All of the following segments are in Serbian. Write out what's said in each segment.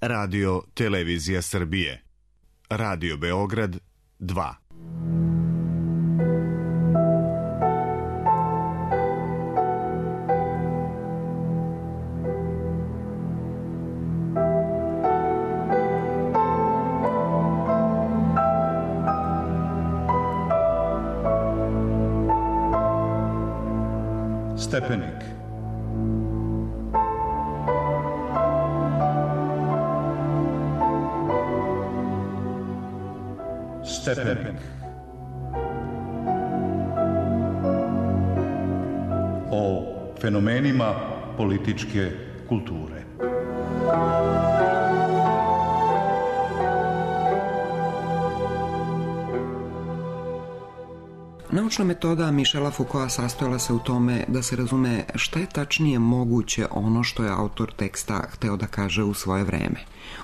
Radio Televizija Srbije. Radio Beograd 2. Stepenik. Stepenik. O fenomenima političke kulture. Naučna metoda Michela Foucaulta sastojala se u tome da se razume šta je tačnije moguće ono što je autor teksta hteo da kaže u svoje vreme.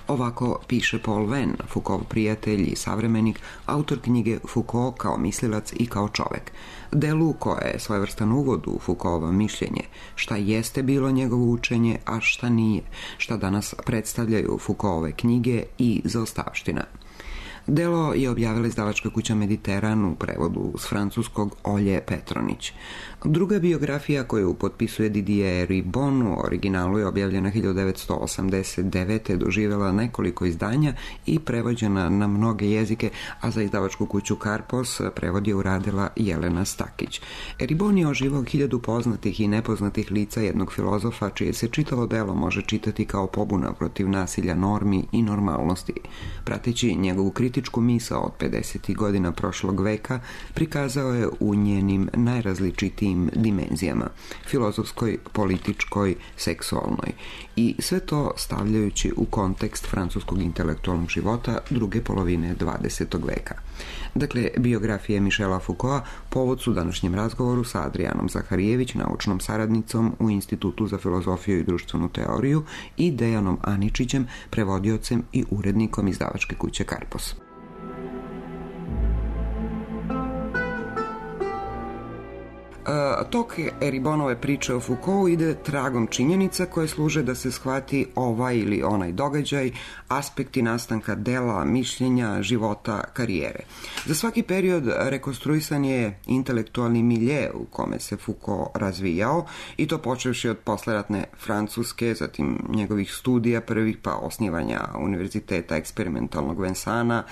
Ovako piše Paul Venn, Foucaultov prijatelj i savremenik, autor knjige Foucault kao mislilac i kao čovek. Delu koje je svojevrstan uvod u Foucaultovo mišljenje, šta jeste bilo njegovo učenje, a šta nije, šta danas predstavljaju Foucaultove knjige i zaostavština. Delo je objavila izdavačka kuća Mediteran u prevodu s francuskog Olje Petronić. Druga biografija koju potpisuje Didier Ribon u originalu je objavljena 1989. doživjela nekoliko izdanja i prevođena na mnoge jezike, a za izdavačku kuću Karpos prevod je uradila Jelena Stakić. Ribon je oživao 1000 poznatih i nepoznatih lica jednog filozofa čije se čitavo delo može čitati kao pobuna protiv nasilja normi i normalnosti. Prateći njegovu kritičku misao od 50. godina prošlog veka, prikazao je u njenim najrazličitijim dimenzijama, filozofskoj, političkoj, seksualnoj, i sve to stavljajući u kontekst francuskog intelektualnog života druge polovine 20. veka. Dakle, biografije Michela Foucaulta povod su današnjem razgovoru sa Adrijanom Zaharijević, naučnom saradnicom u Institutu za filozofiju i društvenu teoriju, i Dejanom Aničićem, prevodiocem i urednikom izdavačke kuće Karpos. Tok Ribonove priče o Foucaultu ide tragom činjenica koje služe da se shvati ovaj ili onaj događaj, aspekti nastanka dela, mišljenja, života, karijere. Za svaki period rekonstruisan je intelektualni milje u kome se Foucault razvijao, i to počevši od posleratne Francuske, zatim njegovih studija prvih, pa osnivanja Univerziteta eksperimentalnog Vincana,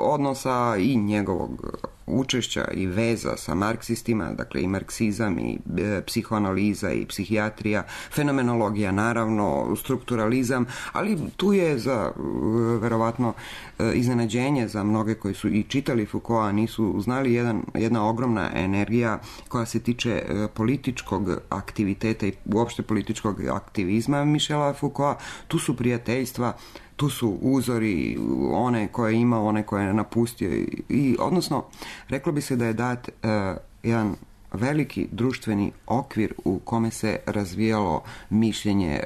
odnosa i njegovog učešća i veza sa marksistima, dakle i marksizam i psihoanaliza i psihijatrija, fenomenologija naravno, strukturalizam, ali tu je za verovatno iznenađenje za mnoge koji su i čitali Foucaulta, nisu znali jedna ogromna energija koja se tiče političkog aktiviteta i uopšte političkog aktivizma Michela Foucaulta. Tu su prijateljstva, tu su uzori, one koje je imao, one koje je napustio, i odnosno reklo bi se da je dat jedan veliki društveni okvir u kome se razvijalo mišljenje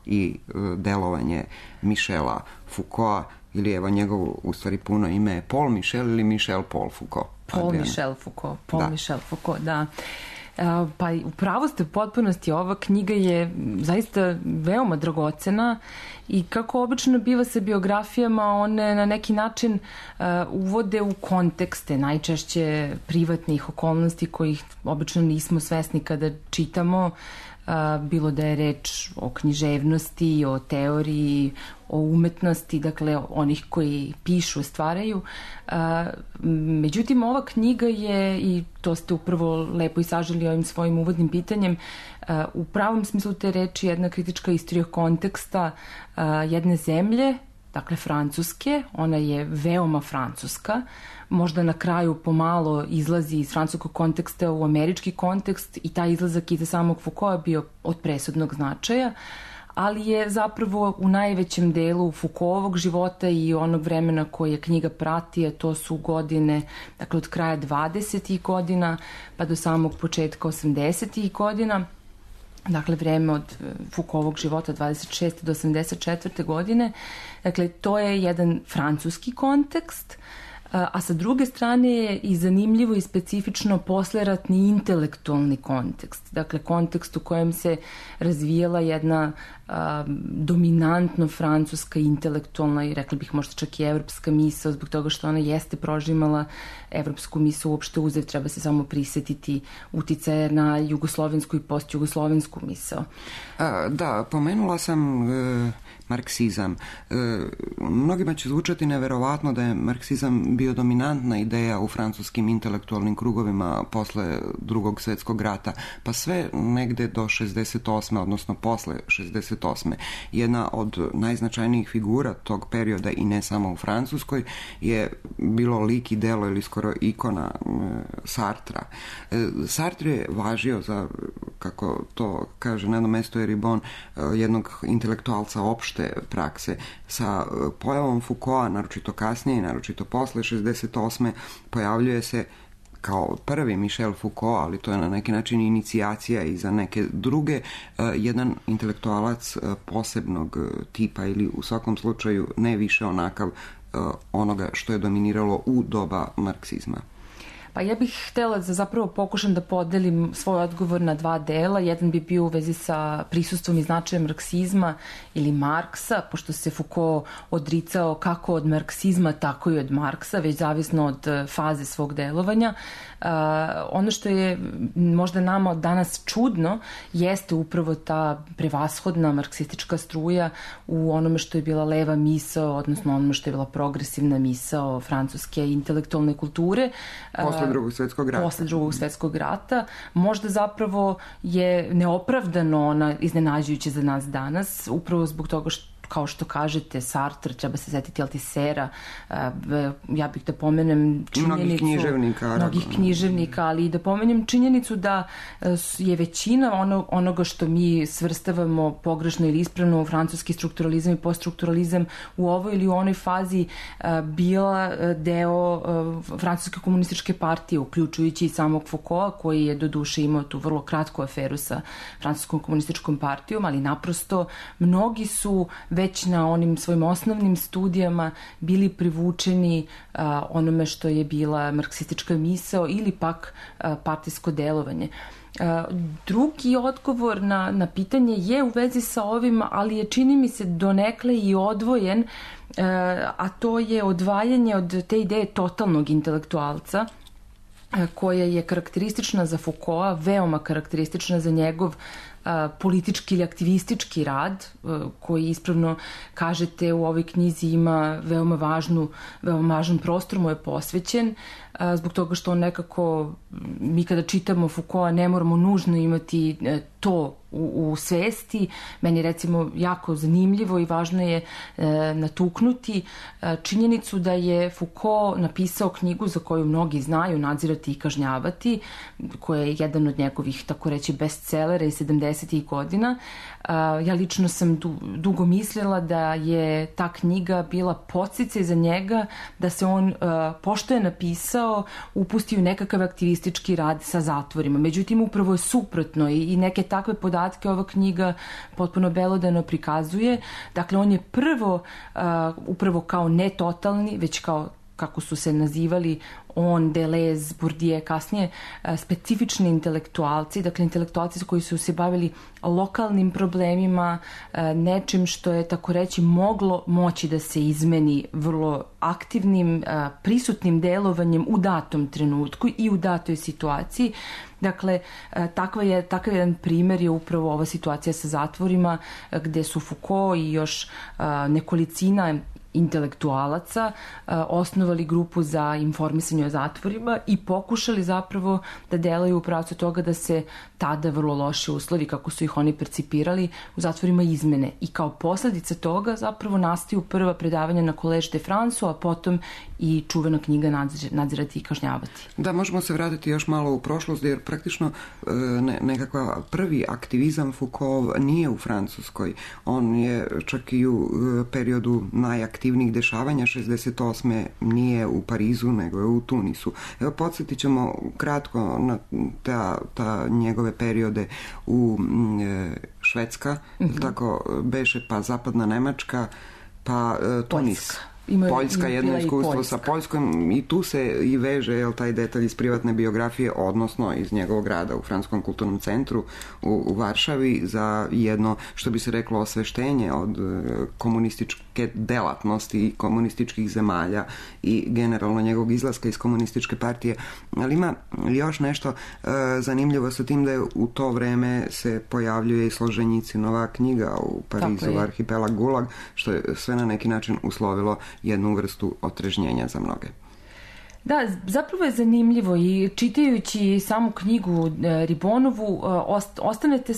i delovanje Michela Foucaulta, ili evo njegovo u stvari puno ime je Paul Michel ili Michel Paul Foucault. Michel Foucault, da. Pa upravo ste u potpunosti, ova knjiga je zaista veoma dragocena i kako obično biva sa biografijama, one na neki način uvode u kontekste najčešće privatnih okolnosti kojih obično nismo svesni kada čitamo, bilo da je reč o književnosti, o teoriji, o umetnosti, dakle onih koji pišu, stvaraju. Međutim, ova knjiga je, i to ste upravo lepo i saželi ovim svojim uvodnim pitanjem, u pravom smislu te reči jedna kritička istorija konteksta jedne zemlje, dakle Francuske. Ona je veoma francuska, možda na kraju pomalo izlazi iz francuskog konteksta u američki kontekst, i taj izlazak i za samog Foucaulta bio od presudnog značaja, ali je zapravo u najvećem delu Foucaultovog života i onog vremena koje knjiga prati, a to su godine, dakle od kraja 20. godina pa do samog početka 80. godina, dakle vreme od Foucaultovog života 26. do 84. godine. Dakle, to je jedan francuski kontekst, a sa druge strane je i zanimljivo i specifično posleratni intelektualni kontekst. Dakle, kontekst u kojem se razvijela jedna dominantno francuska intelektualna i rekla bih možda čak i evropska misao, zbog toga što ona jeste prožimala evropsku misao uopšte uzev, treba se samo prisetiti uticaje na jugoslovensku i postjugoslovensku misao. Da, pomenula sam marksizam. Mnogima će zvučati neverovatno da je marksizam bio dominantna ideja u francuskim intelektualnim krugovima posle Drugog svjetskog rata, pa sve negde do 68. odnosno posle 68. Jedna od najznačajnijih figura tog perioda i ne samo u Francuskoj je bilo lik i delo ili skoro ikona Sartra. Sartre je važio za, kako to kaže na jednom mestu Eribon, jednog intelektualca opšte prakse. Sa pojavom Foucaulta, naročito kasnije, naročito posle 68. pojavljuje se kao prvi Michel Foucault, ali to je na neki način inicijacija i za neke druge, jedan intelektualac posebnog tipa ili u svakom slučaju ne više onakav onoga što je dominiralo u doba marksizma. Pa ja bih htjela da zapravo pokušam da podelim svoj odgovor na dva dela. Jedan bi bio u vezi sa prisustvom i značajem marksizma ili Marksa, pošto se Foucault odricao kako od marksizma, tako i od Marksa, već zavisno od faze svog delovanja. Ono što je možda nama danas čudno jeste upravo ta prevashodna marksistička struja u onome što je bila leva misao, odnosno onome što je bila progresivna misao francuske intelektualne kulture. Posle Drugog svjetskog rata. Posle Drugog svjetskog rata. Možda zapravo je neopravdano ona iznenađujuća za nas danas, upravo zbog toga što, kao što kažete, Sartre, treba se setiti Altisera, ja bih da pomenem činjenicu mnogih književnika, ali i da pomenem činjenicu da je većina onoga što mi svrstavamo pogrešno ili ispravno u francuski strukturalizam i poststrukturalizam u ovoj ili u onoj fazi bila deo francuske komunističke partije, uključujući i samog Foucaulta, koji je doduše imao tu vrlo kratku aferu sa francuskom komunističkom partijom, ali naprosto mnogi su već na onim svojim osnovnim studijama bili privučeni onome što je bila marksistička misao ili pak partijsko delovanje. Drugi odgovor na pitanje je u vezi sa ovim, ali je, čini mi se, donekle i odvojen, a to je odvajanje od te ideje totalnog intelektualca, koja je karakteristična za Foucaulta, veoma karakteristična za njegov politički ili aktivistički rad, koji ispravno kažete u ovoj knjizi ima veoma važan prostor mu je posvećen, zbog toga što on nekako, mi kada čitamo Foucaulta ne moramo nužno imati to u svesti. Meni je recimo jako zanimljivo i važno je natuknuti činjenicu da je Foucault napisao knjigu za koju mnogi znaju, Nadzirati i kažnjavati, koja je jedan od njegovih, tako reći, bestsellera iz 70-ih godina. Ja lično sam dugo mislila da je ta knjiga bila podsticaj za njega da se on, pošto je napisao, upusti u nekakav aktivistički rad sa zatvorima. Međutim, upravo je suprotno i neke takve podatke ova knjiga potpuno belodano prikazuje. Dakle, on je prvo, upravo kao ne totalni, već kao, kako su se nazivali on, Deleuze, Bourdieu, kasnije specifični intelektualci, dakle intelektualci koji su se bavili lokalnim problemima, nečim što je, tako reći, moglo moći da se izmeni vrlo aktivnim, prisutnim delovanjem u datom trenutku i u datoj situaciji. Dakle, takav jedan primjer je upravo ova situacija sa zatvorima, gde su Foucault i još nekolicina intelektualaca osnovali grupu za informisanje o zatvorima i pokušali zapravo da delaju u pravcu toga da se tada vrlo loše uslovi, kako su ih oni percipirali, u zatvorima izmene. I kao posljedica toga zapravo nastaju prva predavanja na College de France, a potom i čuvena knjiga Nadzirati i kažnjavati. Da, možemo se vratiti još malo u prošlost, jer praktično nekakva prvi aktivizam Foucault nije u Francuskoj. On je čak i u periodu najaktivnijih dešavanja 68. nije u Parizu, nego je u Tunisu. Evo, podsjetit ćemo kratko na ta njegove periode u Švedska, tako beše, pa zapadna Nemačka, pa Tunis. Poljska, jedno iskustvo sa Poljskom i tu se i veže taj detalj iz privatne biografije, odnosno iz njegovog rada u Francuskom kulturnom centru u Varšavi za jedno, što bi se reklo, osveštenje od komunističke delatnosti i komunističkih zemalja i generalno njegovog izlaska iz komunističke partije. Ali ima još nešto zanimljivo sa tim da je u to vreme se pojavljuje i Solženjicinova knjiga u Parizu, Arhipelag Gulag, što je sve na neki način uslovilo jednu vrstu otrežnjenja za mnoge. Da, zapravo je zanimljivo i čitajući samu knjigu Ribonovu ostanete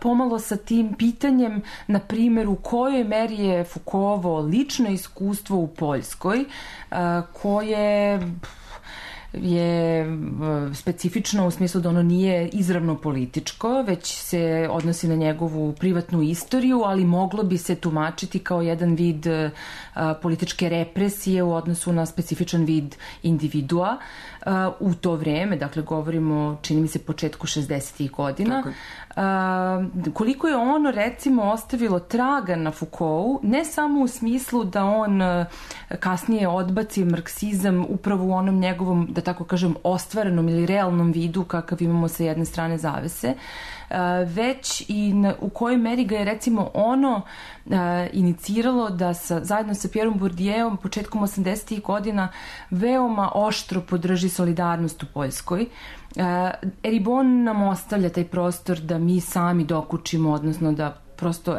pomalo sa tim pitanjem, na primjer, u kojoj meri je Foucaultovo lično iskustvo u Poljskoj koje je specifično u smislu da ono nije izravno političko, već se odnosi na njegovu privatnu istoriju, ali moglo bi se tumačiti kao jedan vid političke represije u odnosu na specifičan vid individua u to vreme, dakle govorimo, čini mi se, početku 60-ih godina. Koliko je ono, recimo, ostavilo traga na Foucaultu, ne samo u smislu da on kasnije odbaci marksizam upravo u onom njegovom, da tako kažem, ostvarenom ili realnom vidu kakav imamo sa jedne strane zavese, već i u kojoj meri ga je, recimo, ono iniciralo da zajedno sa Pierom Bourdieom početkom 80-ih godina veoma oštro podrži solidarnost u Poljskoj. Ribon nam ostavlja taj prostor da mi sami dokučimo, odnosno da prosto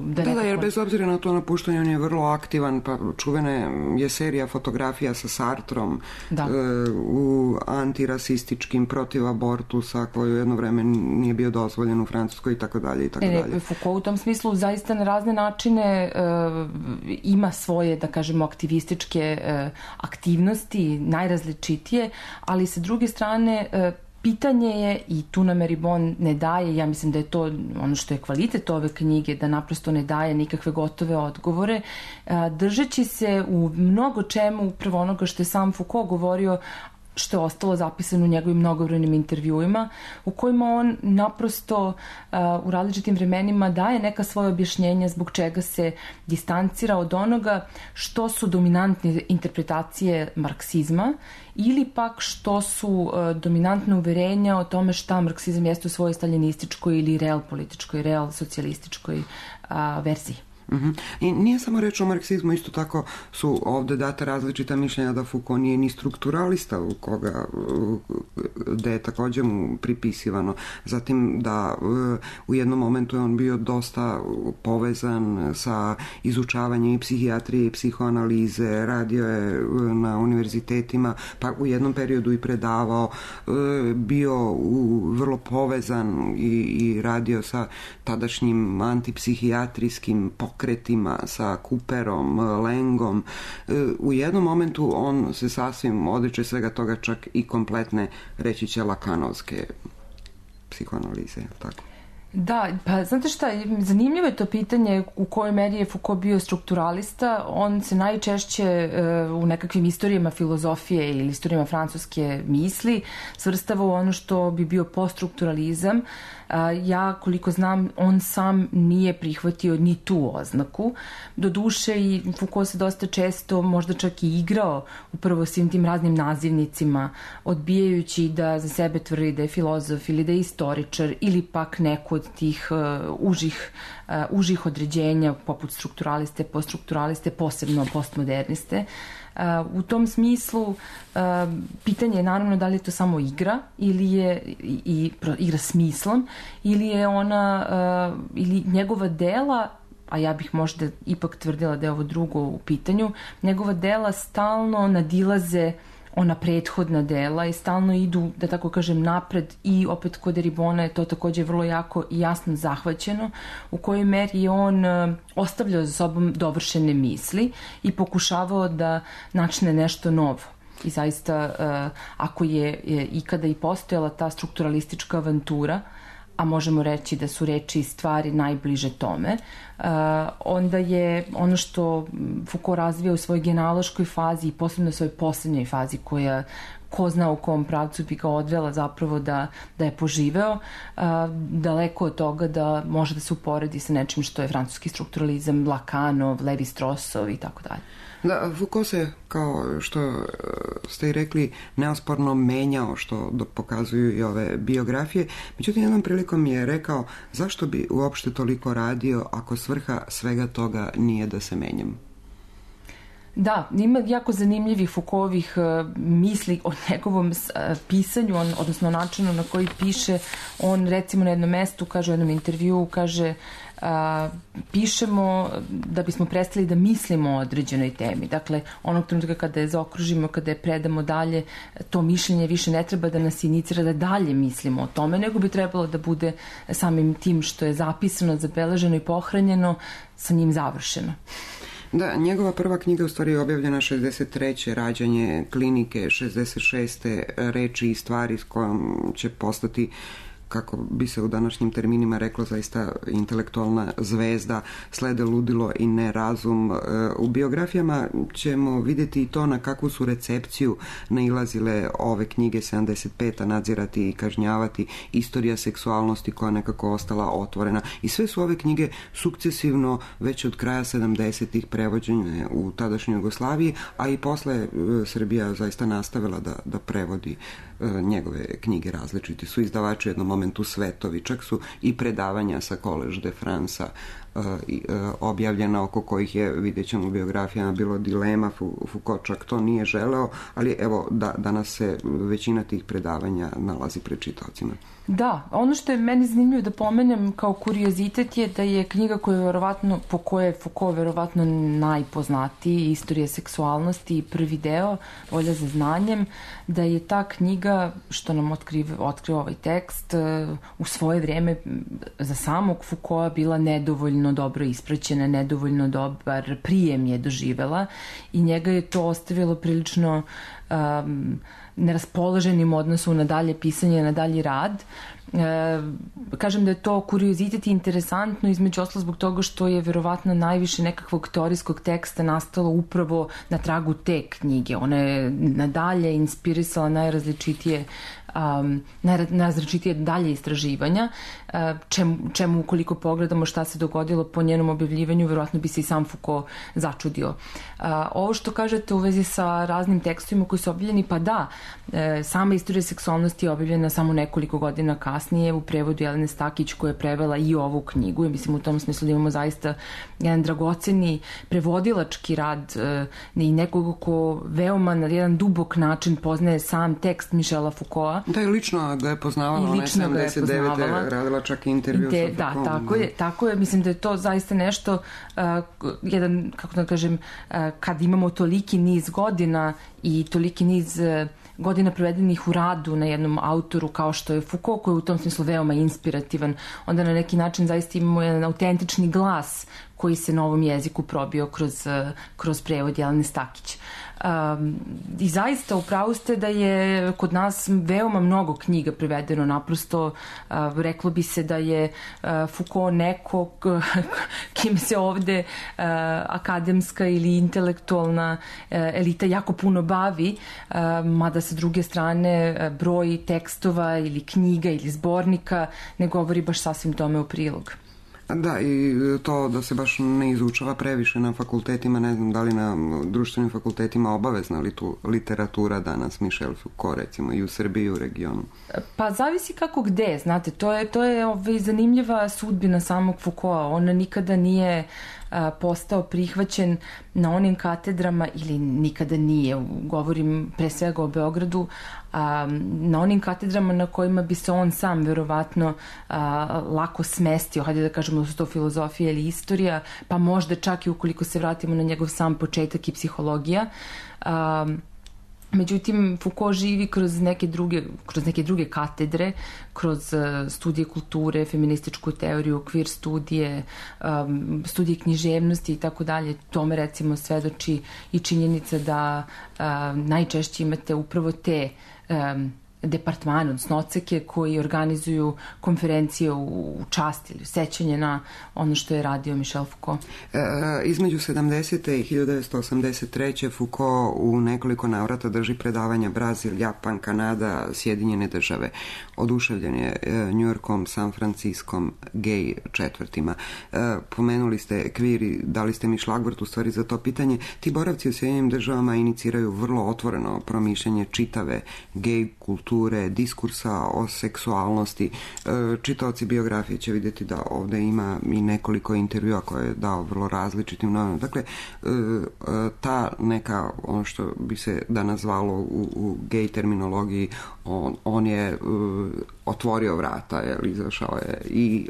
Da, jer bez obzira na to napuštanje on je vrlo aktivan, pa čuvena je serija fotografija sa Sartrom u antirasističkim, protiv abortusa, koju jedno vreme nije bio dozvoljen u Francuskoj i tako dalje i tako dalje. Foucault u tom smislu zaista na razne načine ima svoje, da kažemo, aktivističke aktivnosti, najrazličitije, ali sa druge strane pitanje je, i tu nam Ribon ne daje, ja mislim da je to ono što je kvalitet ove knjige, da naprosto ne daje nikakve gotove odgovore, držeći se u mnogo čemu upravo onoga što je sam Foucault govorio, što je ostalo zapisano u njegovim mnogobrojnim intervjuima, u kojima on naprosto u različitim vremenima daje neka svoje objašnjenja zbog čega se distancira od onoga što su dominantne interpretacije marksizma ili pak što su dominantne uverenja o tome šta marksizam jeste u svojoj staljinističkoj ili real političkoj, real socijalističkoj verziji. I nije samo reč o marksizmu, isto tako su ovde data različita mišljenja da Foucault nije ni strukturalista, da je također mu pripisivano. Zatim da u jednom momentu je on bio dosta povezan sa izučavanjem i psihijatrije i psihoanalize, radio je na univerzitetima, pa u jednom periodu i predavao, bio vrlo povezan i radio sa tadašnjim antipsihijatrijskim pokretima, sa Cooperom, Langom. U jednom momentu on se sasvim odriče svega toga, čak i kompletne, reći će, lakanovske psihoanalize, tako? Da, pa znate šta, zanimljivo je to pitanje u kojoj meri je Foucault bio strukturalista. On se najčešće u nekakvim istorijama filozofije ili istorijama francuske misli svrstava u ono što bi bio poststrukturalizam. Ja, koliko znam, on sam nije prihvatio ni tu oznaku. Doduše, i Foucault se dosta često možda čak i igrao upravo svim tim raznim nazivnicima, odbijajući da za sebe tvrdi da je filozof ili da je istoričar ili pak neko od tih užih određenja poput strukturaliste, poststrukturaliste, posebno postmoderniste. U tom smislu pitanje je naravno da li je to samo igra ili je igra smislom ili je ona ili njegova dela, a ja bih možda ipak tvrdila da je ovo drugo u pitanju, njegova dela stalno nadilaze ona prethodna dela i stalno idu, da tako kažem, napred, i opet kod Ribona je to također vrlo jako i jasno zahvaćeno, u kojoj meri je on ostavljao za sobom dovršene misli i pokušavao da načne nešto novo. I zaista, ako je ikada i postojala ta strukturalistička avantura, a možemo reći da su reči i stvari najbliže tome, onda je ono što Foucault razvija u svojoj genealoškoj fazi i posebno u svojoj posljednjoj fazi koja ko zna u kom pravcu bi ga odvela zapravo da je poživeo, daleko od toga da može da se uporedi sa nečim što je francuski strukturalizam, Lacanov, Levi-Strossov i tako dalje. Da, Foucault se, kao što ste i rekli, neosporno menjao, što pokazuju i ove biografije. Međutim, jednom prilikom je rekao zašto bi uopšte toliko radio ako svrha svega toga nije da se menjam. Da, ima jako zanimljivih Foucaultovih misli o njegovom pisanju, odnosno načinu na koji piše. On recimo na jednom mestu, kaže u jednom intervjuu, kaže pišemo da bismo prestali da mislimo o određenoj temi. Dakle, onog trenutka kada je zaokružimo, kada je predamo dalje, to mišljenje više ne treba da nas inicira da dalje mislimo o tome, nego bi trebalo da bude samim tim što je zapisano, zabeleženo i pohranjeno, sa njim završeno. Da, njegova prva knjiga u stvari je objavljena 63. Rađanje klinike, 66. Reči i stvari s kojom će postati, kako bi se u današnjim terminima reklo, zaista intelektualna zvezda, slede ludilo i nerazum. U biografijama ćemo vidjeti i to na kakvu su recepciju nailazile ove knjige 75. Nadzirati i kažnjavati, istorija seksualnosti koja nekako ostala otvorena. I sve su ove knjige sukcesivno već od kraja 70-ih prevođene u tadašnjoj Jugoslaviji, a i posle Srbija zaista nastavila da prevodi njegove knjige. Različiti su izdavači u jednom momentu svetovi, čak su i predavanja sa Collège de France objavljena, oko kojih je, vidjet ćemo u biografijama, bilo dilema. Foucault čak to nije želeo, ali evo danas se većina tih predavanja nalazi pred čitaocima. Da, ono što je meni zanimljivo da pomenem kao kuriozitet je da je knjiga po kojoj je Foucault verovatno najpoznatiji, Istorija seksualnosti i prvi deo, Volja za znanjem, da je ta knjiga, što nam otkriva ovaj tekst, u svoje vrijeme za samog Foucaulta bila nedovoljno dobro ispraćena, nedovoljno dobar prijem je doživela i njega je to ostavilo prilično neraspoloženim odnosu na dalje pisanje, na dalji rad. Kažem da je to kuriozitet i interesantno, između ostalog zbog toga što je verovatno najviše nekakvog teorijskog teksta nastalo upravo na tragu te knjige. Ona je nadalje inspirisala najrazličitije dalje istraživanja, čemu ukoliko pogledamo šta se dogodilo po njenom objavljivanju, verovatno bi se i sam Foucault začudio. Ovo što kažete u vezi sa raznim tekstovima koji su objavljeni, pa da, sama Istorija seksualnosti je objavljena samo nekoliko godina kasnije u prevodu Jelene Stakić, koja je prevela i ovu knjigu i mislim u tom smislu da imamo zaista jedan dragoceni prevodilački rad i nekoga ko veoma na jedan dubok način poznaje sam tekst Michela Foucaulta. Da, i lično ga je poznavala, ona je 79. radila čak i intervju sa Foucaultom. Da, tako je, mislim da je to zaista nešto, jedan, kako da kažem, kad imamo toliki niz godina i toliki niz godina provedenih u radu na jednom autoru kao što je Foucault, koji je u tom smislu veoma inspirativan, onda na neki način zaista imamo jedan autentični glas koji se na ovom jeziku probio kroz prevod Jelene Stakić. I zaista upravo ste da je kod nas veoma mnogo knjiga prevedeno, naprosto reklo bi se da je Foucault neko kim se ovde akademska ili intelektualna elita jako puno bavi, mada sa druge strane broj tekstova ili knjiga ili zbornika ne govori baš sasvim tome u prilog. Da, i to da se baš ne izučava previše na fakultetima, ne znam da li na društvenim fakultetima obavezna li tu literatura danas, Michel Foucault recimo, i u Srbiji i u regionu? Pa zavisi kako gde, znate, to je zanimljiva sudbina samog Foucaulta. Ona nikada nije postao prihvaćen na onim katedrama, ili nikada nije, govorim pre svega o Beogradu, na onim katedrama na kojima bi se on sam verovatno lako smestio, hajde da kažemo da su to filozofija ili istorija, pa možda čak i ukoliko se vratimo na njegov sam početak i psihologija. Međutim, Foucault živi kroz neke druge katedre, kroz studije kulture, feminističku teoriju, okvir studije književnosti i tako dalje. Tome recimo svedoči i činjenica da najčešće imate upravo te departmane, odnosno odseke koji organizuju konferencije u čast ili sećanje na ono što je radio Michel Foucault. Između 70. i 1983. Foucault u nekoliko navrata drži predavanja Brazil, Japan, Kanada, Sjedinjene države. Oduševljen je Njujorkom, San Franciskom, gej četvrtima. Pomenuli ste kviri, dali ste mi šlagvort u stvari za to pitanje. Ti boravci u Sjedinjenim državama iniciraju vrlo otvoreno promišljanje čitave gej kulture, diskursa o seksualnosti. Čitaoci biografije će vidjeti da ovdje ima i nekoliko intervjua koje je dao vrlo različitim novinama. Dakle, ta neka, ono što bi se danas zvalo u gej terminologiji, on je otvorio vrata, izašao je i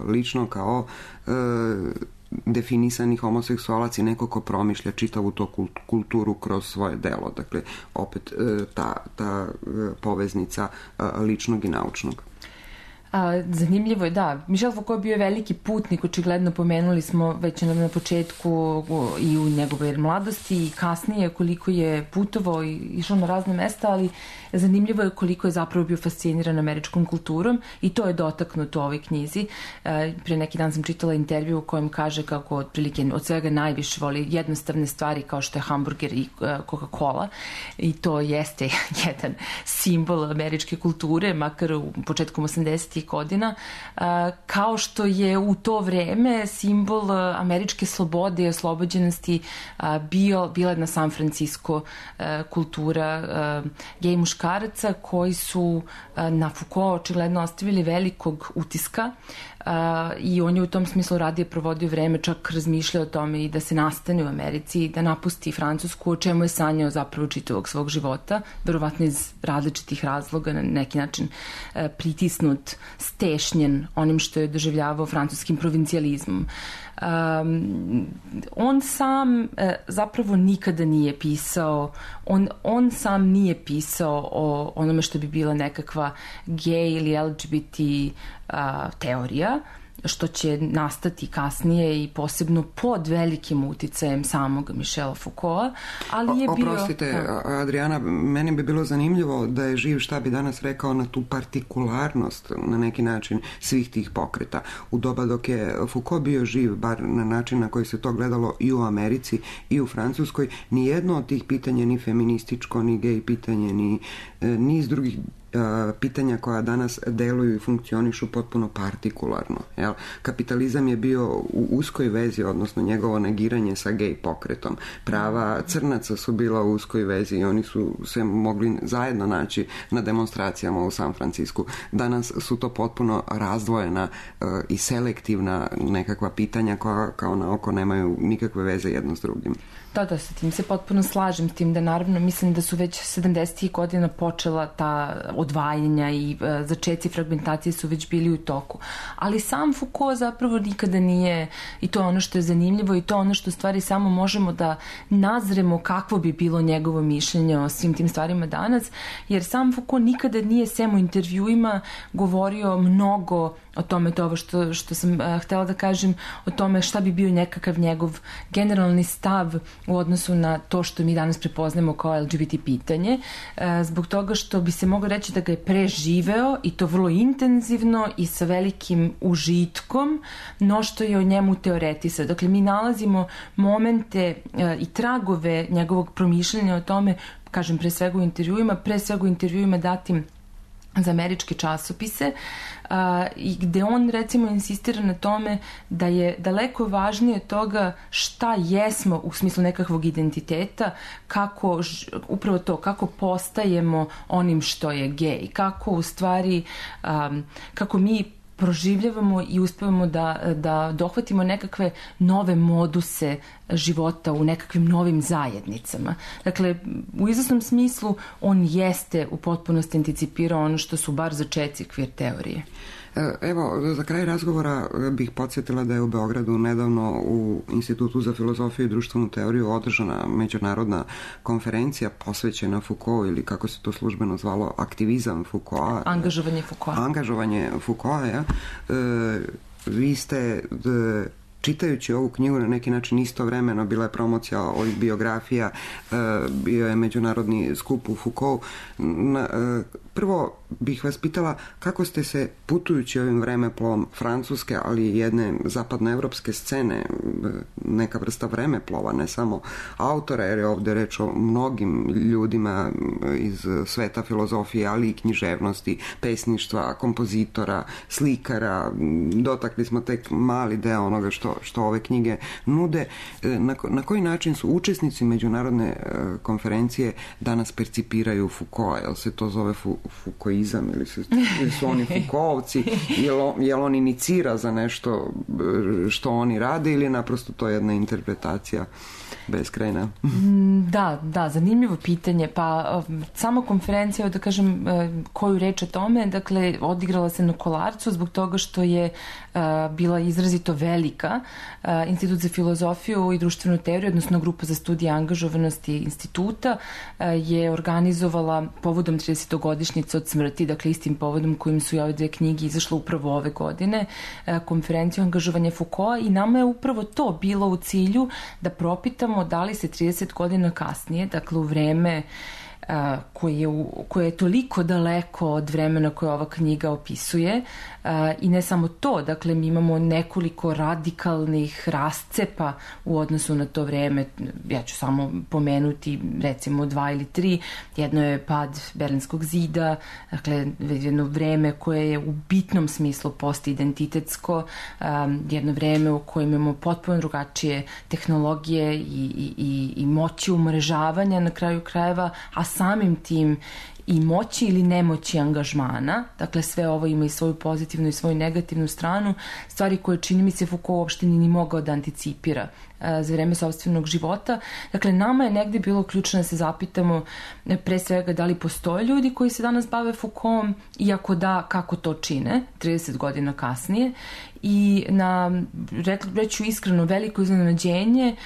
lično kao definisani homoseksualac i neko ko promišlja čitavu to kulturu kroz svoje delo. Dakle, opet ta poveznica ličnog i naučnog. Zanimljivo je, da. Michel Foucault bio je veliki putnik, očigledno pomenuli smo već na početku i u njegove mladosti i kasnije koliko je putovao i išao na razne mesta, ali zanimljivo je koliko je zapravo bio fasciniran američkom kulturom i to je dotaknuto u ovoj knjizi. Pre neki dan sam čitala intervju u kojem kaže kako otprilike od svega najviše voli jednostavne stvari kao što je hamburger i Coca-Cola i to jeste jedan simbol američke kulture, makar u početkom 80. godina, kao što je u to vreme simbol američke slobode i oslobođenosti bila jedna San Francisco kultura gej muškaraca koji su na Foucault očigledno ostavili velikog utiska i on je u tom smislu radije provodio vreme, čak razmišljao o tome i da se nastane u Americi i da napusti Francusku, o čemu je sanjao zapravo čitavog svog života, verovatno iz različitih razloga, na neki način pritisnut, stešnjen onim što je doživljavao francuskim provincijalizmom. On sam zapravo nikada nije pisao, on sam nije pisao o onome što bi bila nekakva gej ili LGBT teorija, što će nastati kasnije i posebno pod velikim uticajem samog Michela Foucaulta, ali je bio... Oprostite, Adriana, meni bi bilo zanimljivo da je živ šta bi danas rekao na tu partikularnost na neki način svih tih pokreta. U doba dok je Foucault bio živ, bar na način na koji se to gledalo i u Americi i u Francuskoj, ni jedno od tih pitanja, ni feminističko, ni gej pitanje, ni niz drugih pitanja koja danas deluju i funkcionišu potpuno partikularno. Jel? Kapitalizam je bio u uskoj vezi, odnosno njegovo negiranje sa gej pokretom. Prava crnaca su bila u uskoj vezi i oni su se mogli zajedno naći na demonstracijama u San Francisku. Danas su to potpuno razdvojena i selektivna nekakva pitanja koja kao na oko nemaju nikakve veze jedno s drugim. Da, sa tim se potpuno slažem, s tim da naravno mislim da su već 70. godina počela ta odvajanja i začeci fragmentacije su već bili u toku. Ali sam Foucault zapravo nikada nije, i to je ono što je zanimljivo i to je ono što stvari samo možemo da nazremo kakvo bi bilo njegovo mišljenje o svim tim stvarima danas, jer sam Foucault nikada nije sem u intervjuima govorio mnogo o tome, to ovo što sam htjela da kažem, o tome šta bi bio nekakav njegov generalni stav u odnosu na to što mi danas prepoznamo kao LGBT pitanje, zbog toga što bi se moglo reći da ga je preživeo i to vrlo intenzivno i sa velikim užitkom, no što je o njemu teoretisao. Dakle, mi nalazimo momente i tragove njegovog promišljanja o tome, kažem, pre svega u intervjuima datim za američke časopise i gde on recimo insistira na tome da je daleko važnije toga šta jesmo u smislu nekakvog identiteta, upravo to, kako postajemo onim što je gej, kako u stvari, kako mi proživljavamo i uspevamo da dohvatimo nekakve nove moduse života u nekakvim novim zajednicama. Dakle, u izvesnom smislu on jeste u potpunosti anticipirao ono što su bar začeci queer teorije. Evo, za kraj razgovora bih podsjetila da je u Beogradu nedavno u Institutu za filozofiju i društvenu teoriju održana međunarodna konferencija posvećena Foucault, ili kako se to službeno zvalo, aktivizam Foucaulta. Angažovanje Foucaulta. Angažovanje Foucaulta, ja. Vi ste čitajući ovu knjigu na neki način istovremeno, bila je promocija ovih biografija, bio je međunarodni skup u Foucault. Prvo bih vas pitala kako ste se, putujući ovim vremeplom Francuske, ali i jedne zapadnoevropske scene, neka vrsta vremeplova, ne samo autora, jer je ovdje reč o mnogim ljudima iz sveta filozofije, ali i književnosti, pesništva, kompozitora, slikara, dotakli smo tek mali deo onoga što ove knjige nude. Na koji način su učesnici međunarodne konferencije danas percipiraju Foucault? Jel se to zove Foucaultizam ili su oni Foucaultovci? Jel on inicira za nešto što oni rade ili naprosto to je jedna interpretacija beskrajna? Da, zanimljivo pitanje. Pa sama konferencija, da kažem koju reč o tome, dakle, odigrala se na Kolarcu zbog toga što je bila izrazito velika. Institut za filozofiju i društvenu teoriju, odnosno grupa za studije angažovanosti instituta, je organizovala povodom 30-godišnjice od smrti, dakle istim povodom kojim su i ove dve knjige izašle upravo ove godine, konferenciju angažovanja Foucaulta, i nama je upravo to bilo u cilju da propitamo da li se 30 godina kasnije, dakle u vreme koje je toliko daleko od vremena koje ova knjiga opisuje, i ne samo to, dakle mi imamo nekoliko radikalnih rascepa u odnosu na to vreme. Ja ću samo pomenuti recimo 2 ili 3. Jedno je pad Berlinskog zida, dakle jedno vreme koje je u bitnom smislu postidentitetsko, jedno vreme u kojem imamo potpuno drugačije tehnologije i moći umrežavanja na kraju krajeva, a samim tim i moći ili nemoći angažmana. Dakle, sve ovo ima i svoju pozitivnu i svoju negativnu stranu, stvari koje čini mi se Foucault uopšte ni mogao da anticipira za vreme sopstvenog života. Dakle, nama je negde bilo ključno da se zapitamo pre svega da li postoje ljudi koji se danas bave Foucaultom, i ako da, kako to čine 30 godina kasnije. I na, reću iskreno, veliko iznenađenje,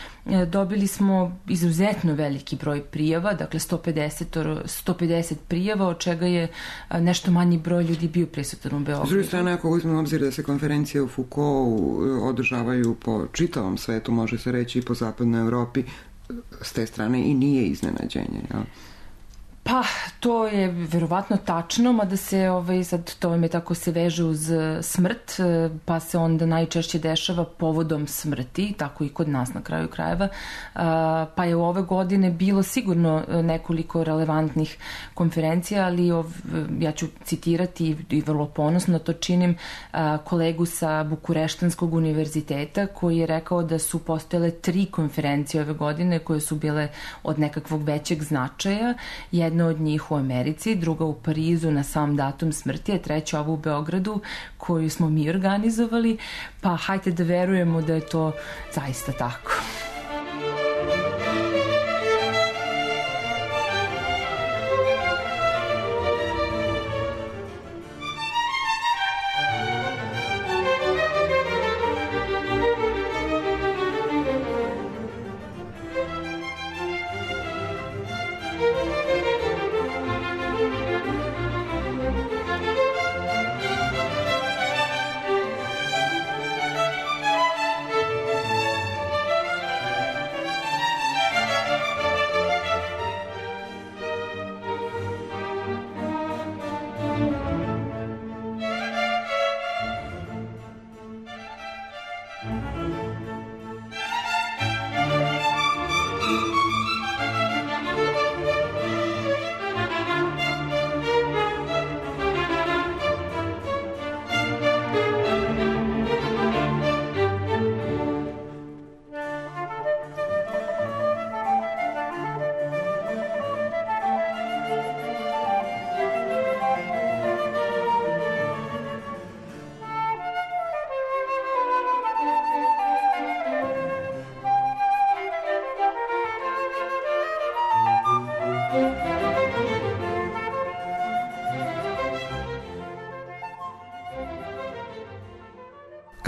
dobili smo izuzetno veliki broj prijava, dakle 150 prijava, od čega je nešto manji broj ljudi bio prisutan u Beogradu. S druge strane, ako uzmemo obzir da se konferencije u Foucaultu održavaju po čitavom svetu, može se reći i po zapadnoj Evropi, s te strane i nije iznenađenje, jel? Pa, to je verovatno tačno, mada se sad to me tako se veže uz smrt, pa se onda najčešće dešava povodom smrti, tako i kod nas na kraju krajeva. Pa je u ove godine bilo sigurno nekoliko relevantnih konferencija, ali ja ću citirati i vrlo ponosno to činim kolegu sa Bukureštanskog univerziteta, koji je rekao da su postojale 3 konferencije ove godine koje su bile od nekakvog većeg značaja. Jedna od njih u Americi, druga u Parizu na sam datum smrti, a treća ovo u Beogradu koju smo mi organizovali, pa hajde da verujemo da je to zaista tako.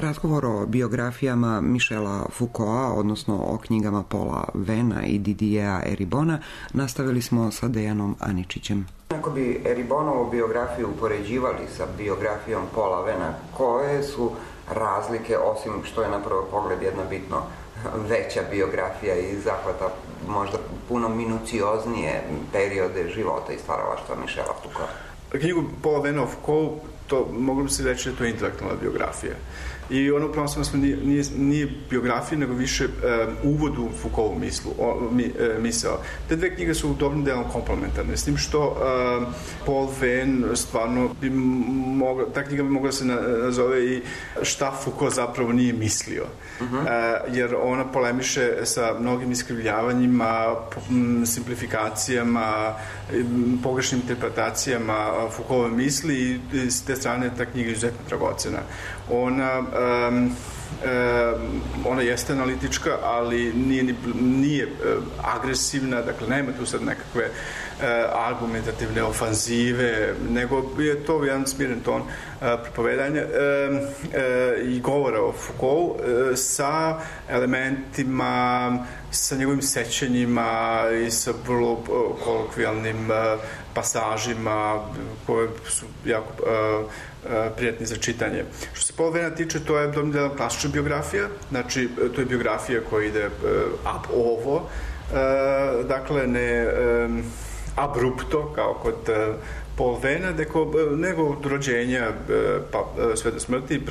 Razgovor o biografijama Michela Foucaulta, odnosno o knjigama Paula Vena i Didiera Eribona, nastavili smo sa Dejanom Aničićem. Ako bi Eribonovu biografiju upoređivali sa biografijom Paula Vena, koje su razlike, osim što je na prvi pogled jedna bitno veća biografija i zahvata možda puno minucioznije periode života i stvaralaštva Michela Foucaulta? Knjigu Paula Vena o Foucault, to moglo bi se reći da je to intelektualna biografija. I ono pravo nije biografija, nego više uvod u Foucaultovu misao. Te dve knjige su dobrim delom komplementarne, s tim što Paul Venn stvarno ta knjiga bi mogla se nazove i šta Foucault zapravo nije mislio. Jer ona polemiše sa mnogim iskrivljavanjima, simplifikacijama, pogrešnim interpretacijama Foucaultove misli i s te strane ta knjiga je izuzetno dragocena. Ona jeste analitička, ali nije agresivna, dakle nema tu sad nekakve argumentativne ofanzive, nego je to jedan smiren ton pripovedanja i govora o Foucault sa elementima, sa njegovim sećanjima i sa vrlo kolokvijalnim pasažima koje su jako prijatni za čitanje. Što se Paula Vena tiče, to je dobrim delom klasična biografija, znači to je biografija koja ide ab ovo, dakle ne abrupto kao kod Paula Vena, nego od rođenja pa sve do smrti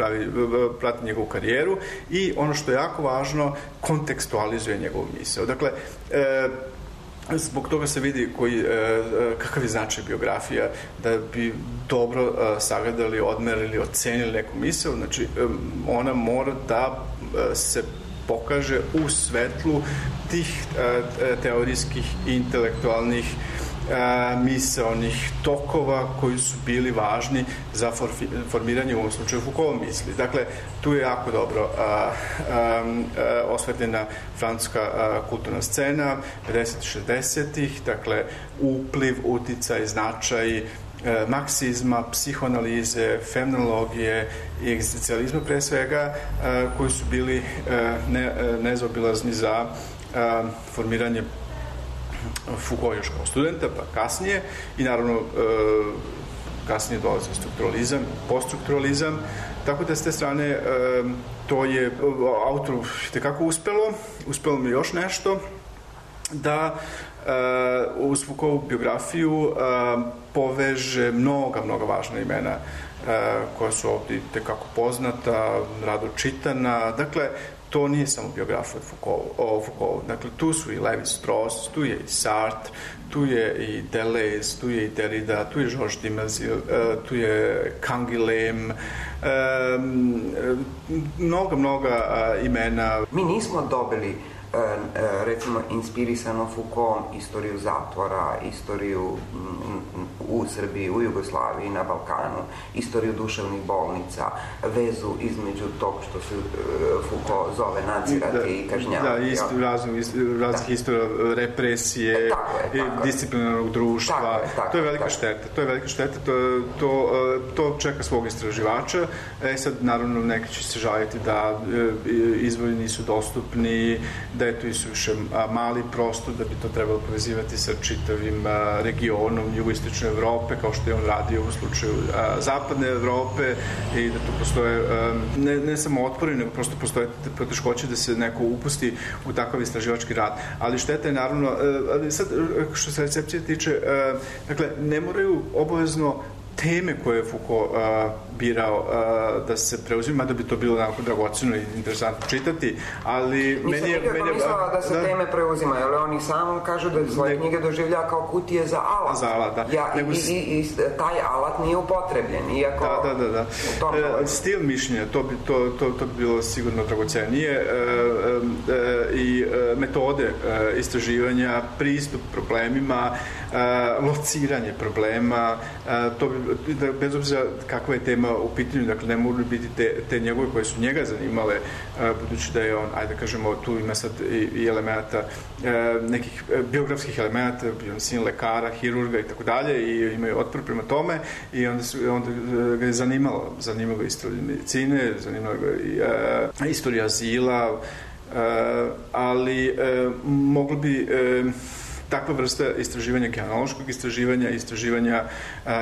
prati njegovu karijeru i ono što je jako važno, kontekstualizuje njegovu misao. Dakle, zbog toga se vidi kakav je značaj biografija, da bi dobro sagledali, odmerili, ocenili neku misao, znači ona mora da se pokaže u svetlu tih teorijskih i intelektualnih misaonih tokova koji su bili važni za formiranje u ovom slučaju Foucault misli. Dakle, tu je jako dobro osvetljena francuska kulturna scena 50-60-ih, dakle upliv, uticaj, značaj marksizma, psihoanalize, fenomenologije i egzistencijalizma pre svega, koji su bili nezaobilazni za formiranje Foucault još kao studenta, pa kasnije, i naravno kasnije dolazi strukturalizam, poststrukturalizam, tako da s te strane to je autoru tekako uspelo mi još nešto, da uz Foucaultovu biografiju poveže mnoga važna imena koja su ovdje tekako poznata, rado čitana. Dakle, to nije samo biografija o Foucaultu. Dakle, tu su i Levi-Strauss, tu je i Sartre, tu je i Deleuze, tu je i Derrida, tu je Georges Dimazil, tu je Canguilhem, mnoga imena. Mi nismo dobili recimo inspirisano Foucaultom istoriju zatvora, istoriju u Srbiji, u Jugoslaviji, na Balkanu, istoriju duševnih bolnica, vezu između tog što se Foucault zove nadzirati i kažnjavati. Raznih istorija represije, disciplinarnog društva. To je velika šteta. To čeka svog istraživača. Sad, naravno, neki će se žaliti da izvori nisu dostupni, da je to isuviše mali prostor, da bi to trebalo povezivati sa čitavim regionom jugoistočne Evrope, kao što je on radio u slučaju zapadne Evrope, i da tu postoje ne samo otpori, nego prosto postoje poteškoće da se neko upusti u takav istraživački rad. Ali šteta je naravno, sad što se recepcije tiče, dakle, ne moraju obavezno teme koje je Foucault birao da se preuzima, da bi to bilo onako dragoceno i interesantno čitati, ali meni je... Nisam mislila da se teme preuzimaju, ali oni sam kažu da svoje knjige doživlja kao kutije za alat. Za alat, da. I taj alat nije upotrebljen, iako... Da. Stil mišljenja, to bi bilo sigurno dragocenije, i metode istraživanja, pristup problemima, lociranje problema, to bi, bez obzira kakva je tema u pitanju, dakle ne mogu biti te njegove koje su njega zanimale, budući da je on, ajde kažemo, tu ima sad i elementa, nekih biografskih elementa, bio on sin lekara, hirurga i tako dalje, i imaju otpor prema tome, i onda ga je zanimalo istorija medicine, zanimalo ga i istorija azila, ali moglo bi takva vrsta istraživanja, genealoškog istraživanja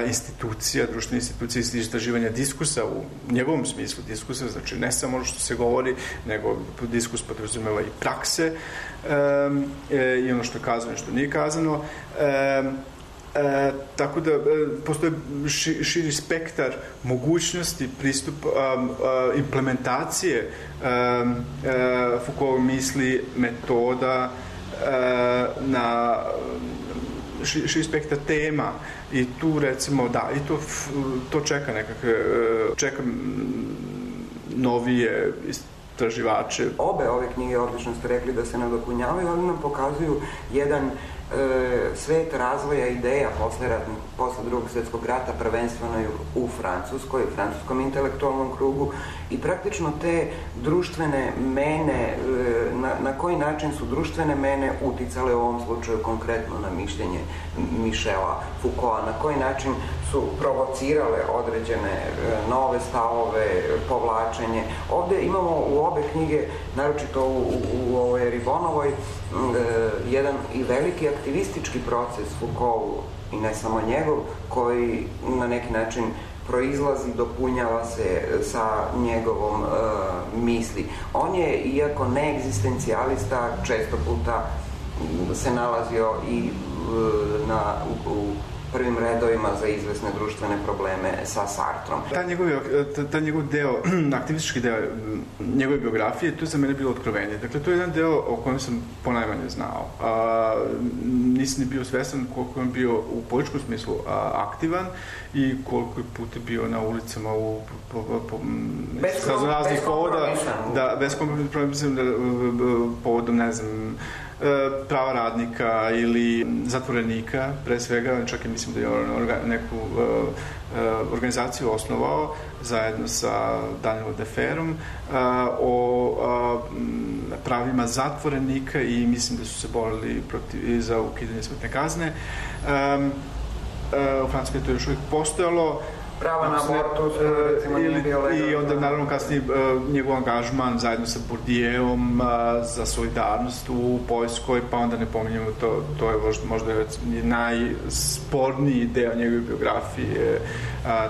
institucija, društvenih institucija, istraživanja diskursa u njegovom smislu diskursa, znači ne samo ono što se govori, nego diskurs podrazumeva i prakse i ono što je kazano i što nije kazano. Tako da postoje širi spektar mogućnosti pristupa, implementacije Foucaultove misli, metoda na širi spektar tema i tu recimo i to čeka čeka novije istraživače. Obe ove knjige, odlično ste rekli da se nadopunjavaju, ali nam pokazuju jedan svet razvoja ideja posle Drugog svjetskog rata, prvenstveno u Francuskoj, u francuskom intelektualnom krugu, i praktično te društvene mene, na koji način su društvene mene uticale u ovom slučaju konkretno na mišljenje Michela Foucaulta, na koji način su provocirale određene nove stavove, povlačenje. Ovde imamo u obe knjige, naročito u ovoj Ribonovoj, jedan i veliki aktivistički proces Foucaultu, i ne samo njegov, koji na neki način proizlazi, dopunjava se sa njegovom misli. On je, iako neegzistencijalista, često puta se nalazio i u prvim redovima za izvesne društvene probleme sa Sartrom. Ta njegov deo, aktivistički deo njegove biografije, to je za mene bilo otkrovenje. Dakle, to je jedan deo o kojem sam ponajmanje znao. Nisam ni bio svestan koliko je bio u političkom smislu aktivan i koliko je puta bio na ulicama bez raznih povoda. Bez kompromisan, povodom, ne znam, prava radnika ili zatvorenika, pre svega, čak i mislim da je neku organizaciju osnovao zajedno sa Danielom Deferom o pravima zatvorenika i mislim da su se borili za ukidanje smrtne kazne. U Francuskoj to još uvijek postojalo. Prava na abortus, recimo, nije bio legalno. I onda, naravno, kasnije njegov angažman zajedno sa Bourdieuom za solidarnost u Poljskoj, pa onda ne pominjamo, to je možda najsporniji deo njegove biografije,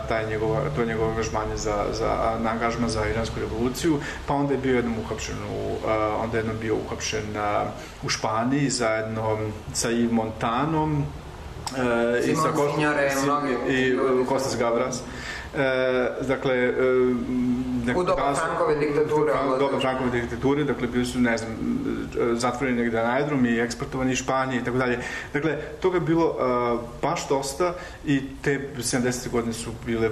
to je njegov angažman za iransku revoluciju, pa onda je bio jednom uhapšen u Španiji zajedno sa Yves Montanom, Simon Signore i Kostas Gavras. Dakle, u doba Frankove diktature, dakle, bili su, ne znam, zatvoreni negde na aerodrom i eksportovani iz Španije i tako dalje. Dakle, toga je bilo baš dosta i te 70. godine su bile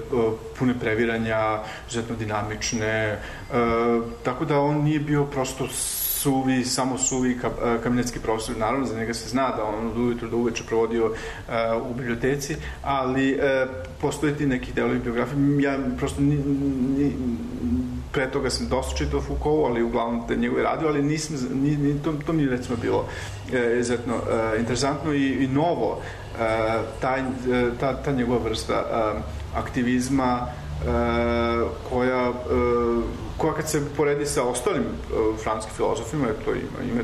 pune previranja, izuzetno dinamične, tako da on nije bio prosto samo suvi kabinetski profesor. Naravno, za njega se zna da on od ujutru do uveče provodio u biblioteci, ali postoje ti neki delovi biografije. Ja prosto pre toga sam dosta čitao Foucault, ali uglavnom te njegove radio, ali to mi je recimo bilo izuzetno interesantno i novo, ta njegova vrsta aktivizma koja kad se poredi sa ostalim francuskim filozofima, ima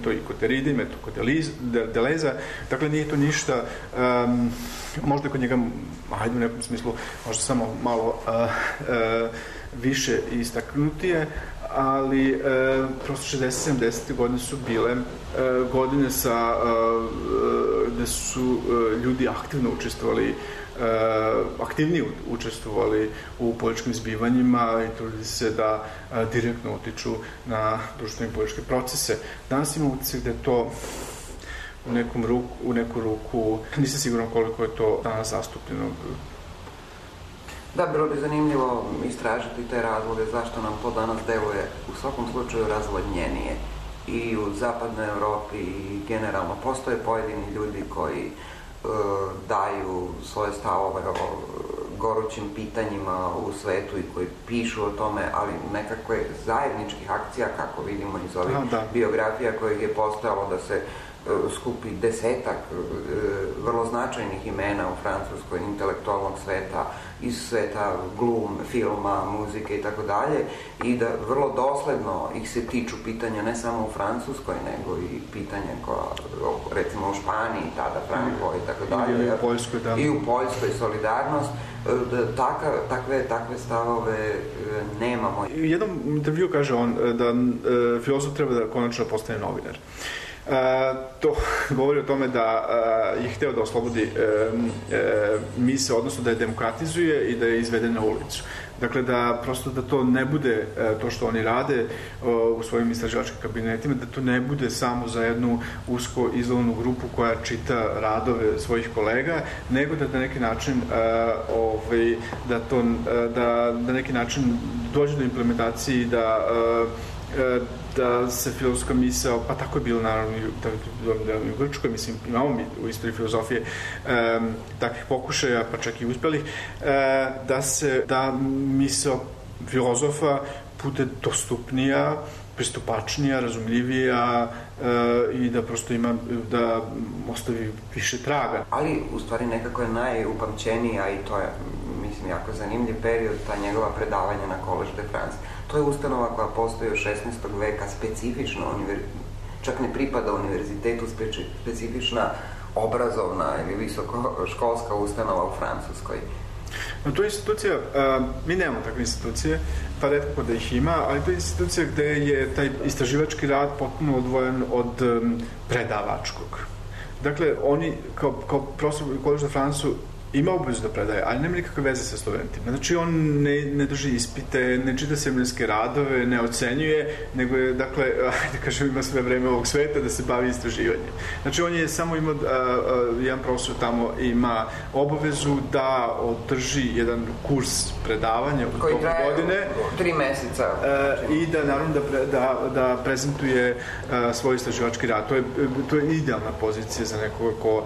to i kod Derride, ima to kod Deleuze, dakle nije to ništa, možda kod njega, ajde u nekom smislu, možda samo malo više istaknutije, ali prosto 60-70. godine su bile godine gde su ljudi aktivno aktivnije učestvovali u političkim zbivanjima i trudili se da direktno utiču na društvene i političke procese. Danas imamo utisak da je to u neku ruku, nisam siguran koliko je to danas zastupljeno. Da, bilo bi zanimljivo istražiti te razloge zašto nam to danas deluje u svakom slučaju razvodnjenije. I u zapadnoj Evropi i generalno postoje pojedini ljudi koji daju svoje stavove o gorućim pitanjima u svetu i koji pišu o tome, ali nekakve zajedničkih akcija, kako vidimo iz ovih biografija kojih je postojalo, da se skupi desetak vrlo značajnih imena u francuskoj intelektualnog sveta, iz sveta glum, filma, muzike i tako dalje, i da vrlo dosledno ih se tiču pitanja ne samo u Francuskoj, nego i pitanja koja, recimo u Španiji, tada Franko i tako dalje. I u Poljskoj, da. I u Poljskoj solidarnost. Takve stavove nemamo. U jednom intervju kaže on da filozof treba da konačno postane novinar. To govori o tome da je hteo da oslobodi misao, odnosno da je demokratizuje i da je izvede na ulicu. Dakle, da prosto da to ne bude to što oni rade u svojim istraživačkim kabinetima, da to ne bude samo za jednu usko izlovnu grupu koja čita radove svojih kolega, nego da na neki način da na neki način dođe do implementacije da se filozofska misao, pa tako je bilo naravno i u Grčkoj, mislim, imamo mi u istoriji filozofije takvih pokušaja, pa čak i uspelih, da misao filozofa bude dostupnija, pristupačnija, razumljivija i da prosto da ostavi više traga. Ali, u stvari, nekako je najupamćenija, i to je, mislim, jako zanimljiv period, ta njegova predavanja na Collège de France. To je ustanova koja postoji od 16. veka, specifična, čak ne pripada univerzitetu, specifična obrazovna ili visokoškolska ustanova u Francuskoj. No, to je institucija, mi nemamo takve institucije, pa retko da ih ima, ali to je institucija gde je taj istraživački rad potpuno odvojen od predavačkog. Dakle, oni, kao profesor u Collège de France ima obavezu da predaje, ali nema nikakve veze sa studentima. Znači, on ne drži ispite, ne čita seminarske radove, ne ocenjuje, nego je, dakle, da kažem, ima sve vreme ovog sveta da se bavi istraživanjem. Znači, on je samo imao, jedan profesor tamo ima obavezu da održi jedan kurs predavanja u toku godine. Koji traje 3 meseca. I da, naravno, da prezentuje svoj istraživački rad. To je idealna pozicija za nekoga ko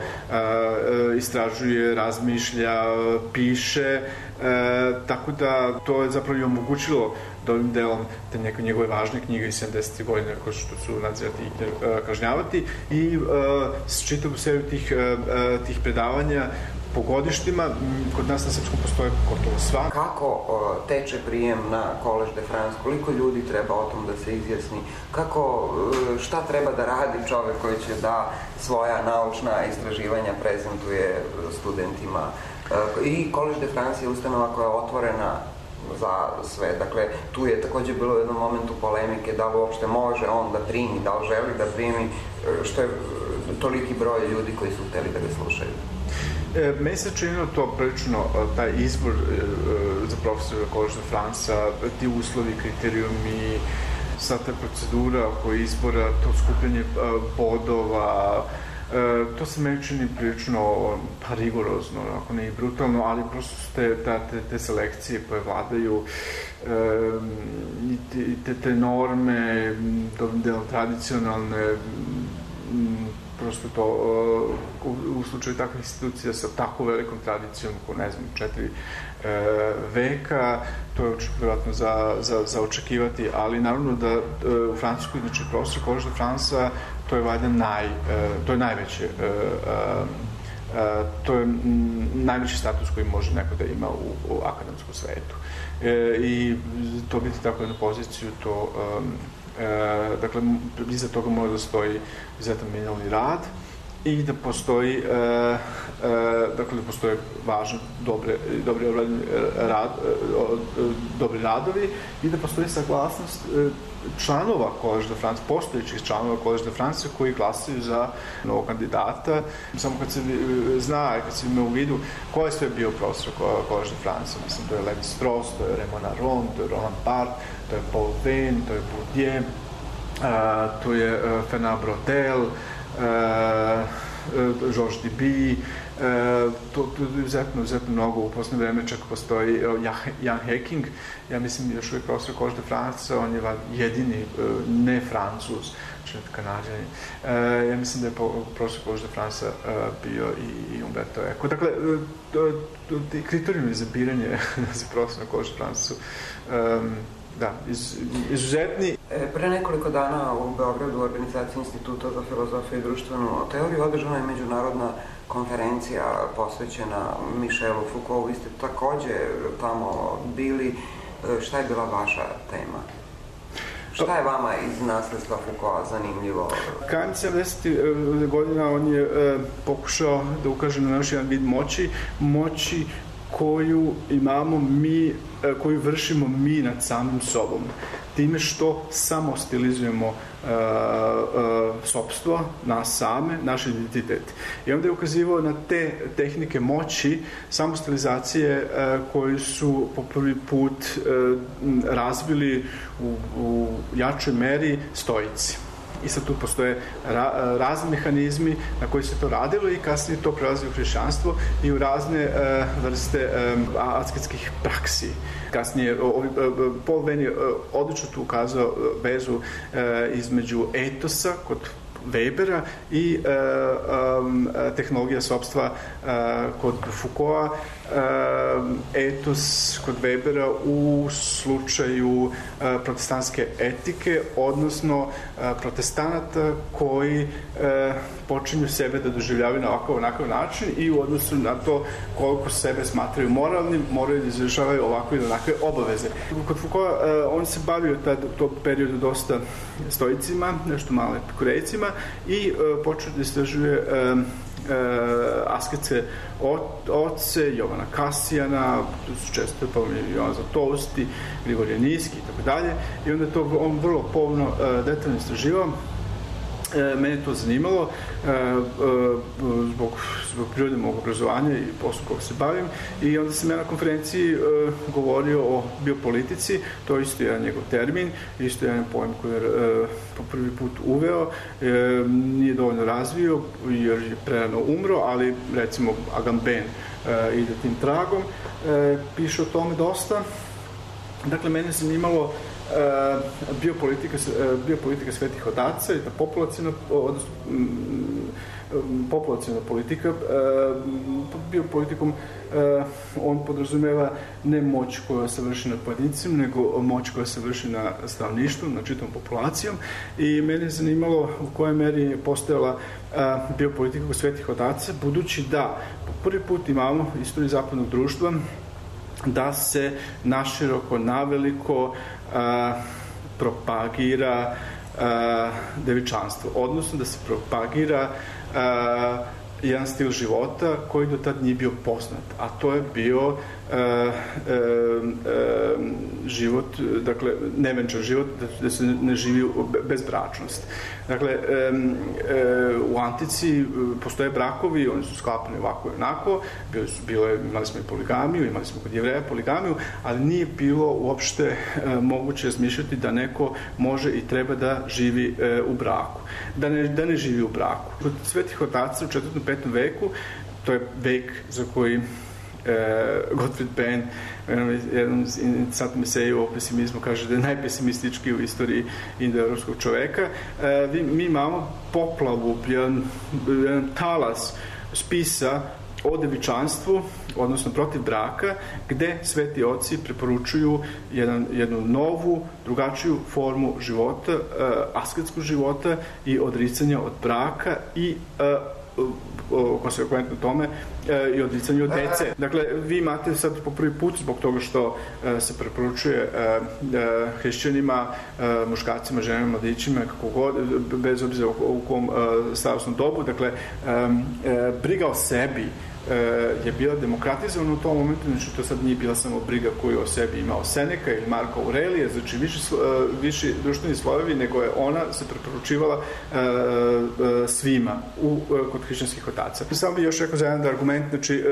istražuje, razmišlja, piše, tako da to je zapravo i omogućilo dobrim delom te neke njegove važne knjige iz 70. godine, kao što su Nadzirati i kažnjavati, i s čitavu seriju tih predavanja po godištima. Kod nas na srpskom postoje gotovo sva. Kako teče prijem na Collège de France? Koliko ljudi treba o tom da se izjasni? Šta treba da radi čovek koji će da svoja naučna istraživanja prezentuje studentima? I Collège de France je ustanova koja je otvorena za sve. Dakle, tu je takođe bilo u jednom momentu polemike da li uopšte može on da primi, da li želi da primi, što je toliki broj ljudi koji su hteli da ga slušaju. Meni se činilo to prilično, taj izbor za profesora Collège de France, ti uslovi, kriterijumi, sva ta procedura oko izbora, to skupljanje bodova, to se meni čini prilično rigorozno, ako ne i brutalno, ali prosto su te selekcije koje vladaju, te norme, dobrim delom tradicionalne, prosto to u slučaju takvih institucija sa tako velikom tradicijom, ko ne znam, 4 veka, to je vjerojatno za očekivati, ali naravno da u Francuskoj, znači profesor Collège de France, to je valjda najveće, to je najveći status koji može neko da ima u akademskom svetu. I to biti tako jednu poziciju, to dakle, iza toga mora da stoji izuzetan minimalni rad i da postoji dakle, da postoje važni dobri radovi i da postoji saglasnost članova Collège de France, postojećih članova Collège de France koji glasaju za novog kandidata. Samo kad se zna, kad se ima u vidu ko je sve bio profesor Collège de France, mislim, to je Lévi-Strauss, to je Raymond Aron, to je Roland Barthes, to je Paul Veyne, to je Bourdieu, to je Fernand Braudel, Georges Duby, to je izuzetno mnogo. U poslednje vreme čak postoji Jan Hecking, ja mislim još uvijek profesor Collège de France, on je jedini ne Francuz, čak Kanadjanin. Ja mislim da je profesor Collège de France bio i Umberto Eco. Dakle, kriterijumi za biranje za profesor Collège de France su da, izuzetni. Pre nekoliko dana u Beogradu u organizaciji Instituta za filozofiju i društvenu teoriju održana je međunarodna konferencija posvećena Michelu Foucaultu. Vi ste takođe tamo bili. Šta je bila vaša tema? Šta je vama iz nasledstva Foucaulta zanimljivo? Krajem 70. godina on je pokušao da ukaže na naš jedan vid moći koju imamo mi, koju vršimo mi nad samim sobom. Time što samo stilizujemo sopstvo, nas same, naš identitet. I onda je ukazivao na te tehnike moći, samostilizacije koje su po prvi put razvili u jačoj meri stoici. I sad tu postoje razni mehanizmi na koji se to radilo i kasnije to prelazi u hrišćanstvo i u razne vrste asketskih praksi. Kasnije, Paul Venn je odlično tu ukazao vezu između etosa kod Webera i tehnologija sopstva kod Foucaulta, etos kod Webera u slučaju protestantske etike, odnosno protestanata koji počinju sebe da doživljavaju na onakav način i u odnosu na to koliko sebe smatraju moralnim, moraju da izvršavaju ovakve ili onakve obaveze. Kod Foucaulta on se bavio u tom periodu dosta stoicima, nešto malo epikurejcima i počeo da istražuje asketske oce, Jovana Kasijana, tu su često Jovan Zlatousti, Grigorije Niski i tako dalje. I onda je to on vrlo pomno detaljno istraživao. Mene to zanimalo zbog prirode mog obrazovanja i poslu kog se bavim i onda sam ja na konferenciji govorio o biopolitici, to je isto jedan njegov termin, isto jedan pojem koji je po prvi put uveo, nije dovoljno razvio jer je prerano umro, ali recimo Agamben ide tim tragom, piše o tome dosta. Dakle, mene je zanimalo biopolitika svetih otaca i ta populaciona politika. Biopolitikom on podrazumeva ne moć koja se vrši nad pojedincem, nego moć koja se vrši na stanovništvom, na čitavom populacijom. I mene je zanimalo u kojoj meri je postojala biopolitika kod svetih otaca, budući da po prvi put imamo istoriju zapadnog društva da se naširoko, naveliko propagira devičanstvo, odnosno da se propagira jedan stil života koji do tad nije bio poznat, a to je bio život, dakle, nevenčan život, da se ne živi bezbračnost. Dakle, u antici postoje brakovi, oni su sklapani ovako i onako, imali smo i poligamiju, imali smo kod Jevreja poligamiju, ali nije bilo uopšte moguće razmišljati da neko može i treba da živi u braku, da ne živi u braku. Kod svetih otaca u 4. i 5. veku, to je vek za koji Gottfried Benn jednom interesantnom eseju o pesimizmu kaže da je najpesimistički u istoriji indoevropskog čoveka. Mi imamo poplavu, jedan talas spisa o devičanstvu, odnosno protiv braka, gde sveti oci preporučuju jednu novu, drugačiju formu života, asketskog života i odricanja od braka i konsekventno tome i odricanje od dece. Dakle, vi imate sad po prvi put, zbog toga što se preporučuje hrišćanima, muškarcima, ženama, mladićima, kako god, bez obzira u kom starosnom dobu, dakle, briga o sebi je bila demokratizovana u tom momentu, znači to sad nije bila samo briga koju o sebi imao Seneka ili Marko Aurelije, znači viši društveni slojevi, nego je ona se preporučivala svima kod hrišćanskih otaca. Samo bih još rekao za jedan argument, znači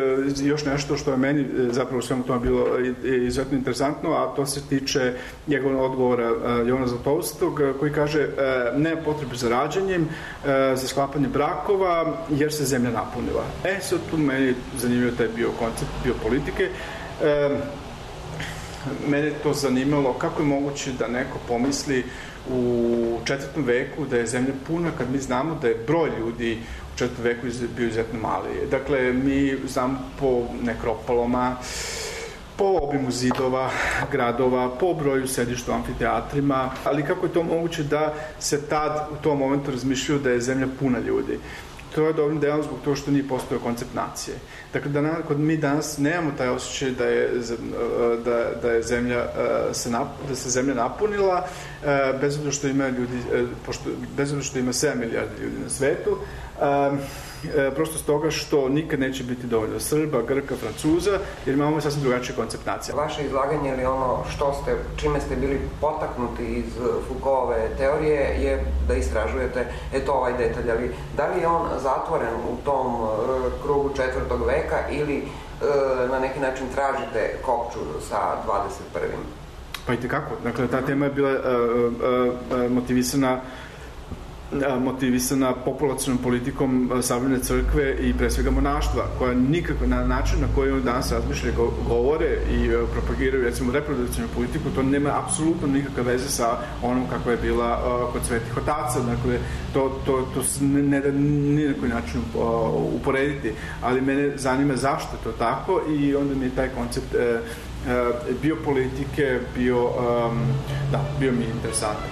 još nešto što je meni zapravo u svemu tome bilo izuzetno interesantno, a to se tiče njegovog odgovora Jovana Zlatoustog, koji kaže nema potrebe za rađanjem, za sklapanje brakova, jer se zemlja napunila. Sad tu meni zanimljivo taj bio koncept biopolitike. Mene je to zanimalo kako je moguće da neko pomisli u 4. veku da je zemlja puna, kad mi znamo da je broj ljudi u 4. veku bio izuzetno mali. Dakle, mi znamo po nekropolama po obimu zidova, gradova, po broju sedišta u amfiteatrima, ali kako je to moguće da se tad u tom momentu razmišljaju da je zemlja puna ljudi. To je dobrim delom zbog toga što nije postojao koncept nacije. Dakle, mi danas nemamo taj osjećaj da se zemlja napunila, bez obzira što ima ljudi, bez obzira što ima 7 milijardi ljudi na svetu, prosto stoga što nikad neće biti dovoljno Srba, Grka, Francuza, jer imamo sasvim drugačiji koncept nacije. Vaše izlaganje ili ono čime ste bili potaknuti iz Foucaultove teorije je da istražujete ovaj detalj, ali da li je on zatvoren u tom krugu 4. veka ili na neki način tražite kopču sa 21. Pa i tekako. Dakle, ta tema je bila motivisana populacionom politikom savremene crkve i pre svega monaštva, koja nikako na način na koji oni danas razmišljaju, govore i propagiraju, recimo, reprodukcijnu politiku, to nema apsolutno nikakve veze sa onom kakva je bila kod svetih otaca. Dakle, to se ne da ni na koji način uporediti, ali mene zanima zašto je to tako i onda mi je taj koncept biopolitike bio mi interesantan.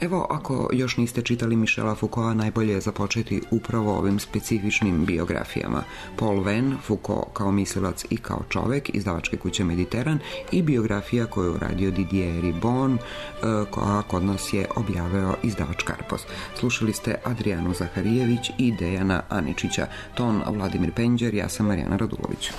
Evo, ako još niste čitali Michela Foucaulta, najbolje je započeti upravo ovim specifičnim biografijama. Paul Venn, Foucault kao mislilac i kao čovek, izdavačke kuće Mediteran, i biografija koju je uradio Didier Ribon, koja kod nas je objavio izdavač Karpos. Slušali ste Adrijanu Zaharijević i Dejana Aničića, ton Vladimir Penđer, ja sam Marijana Radulović.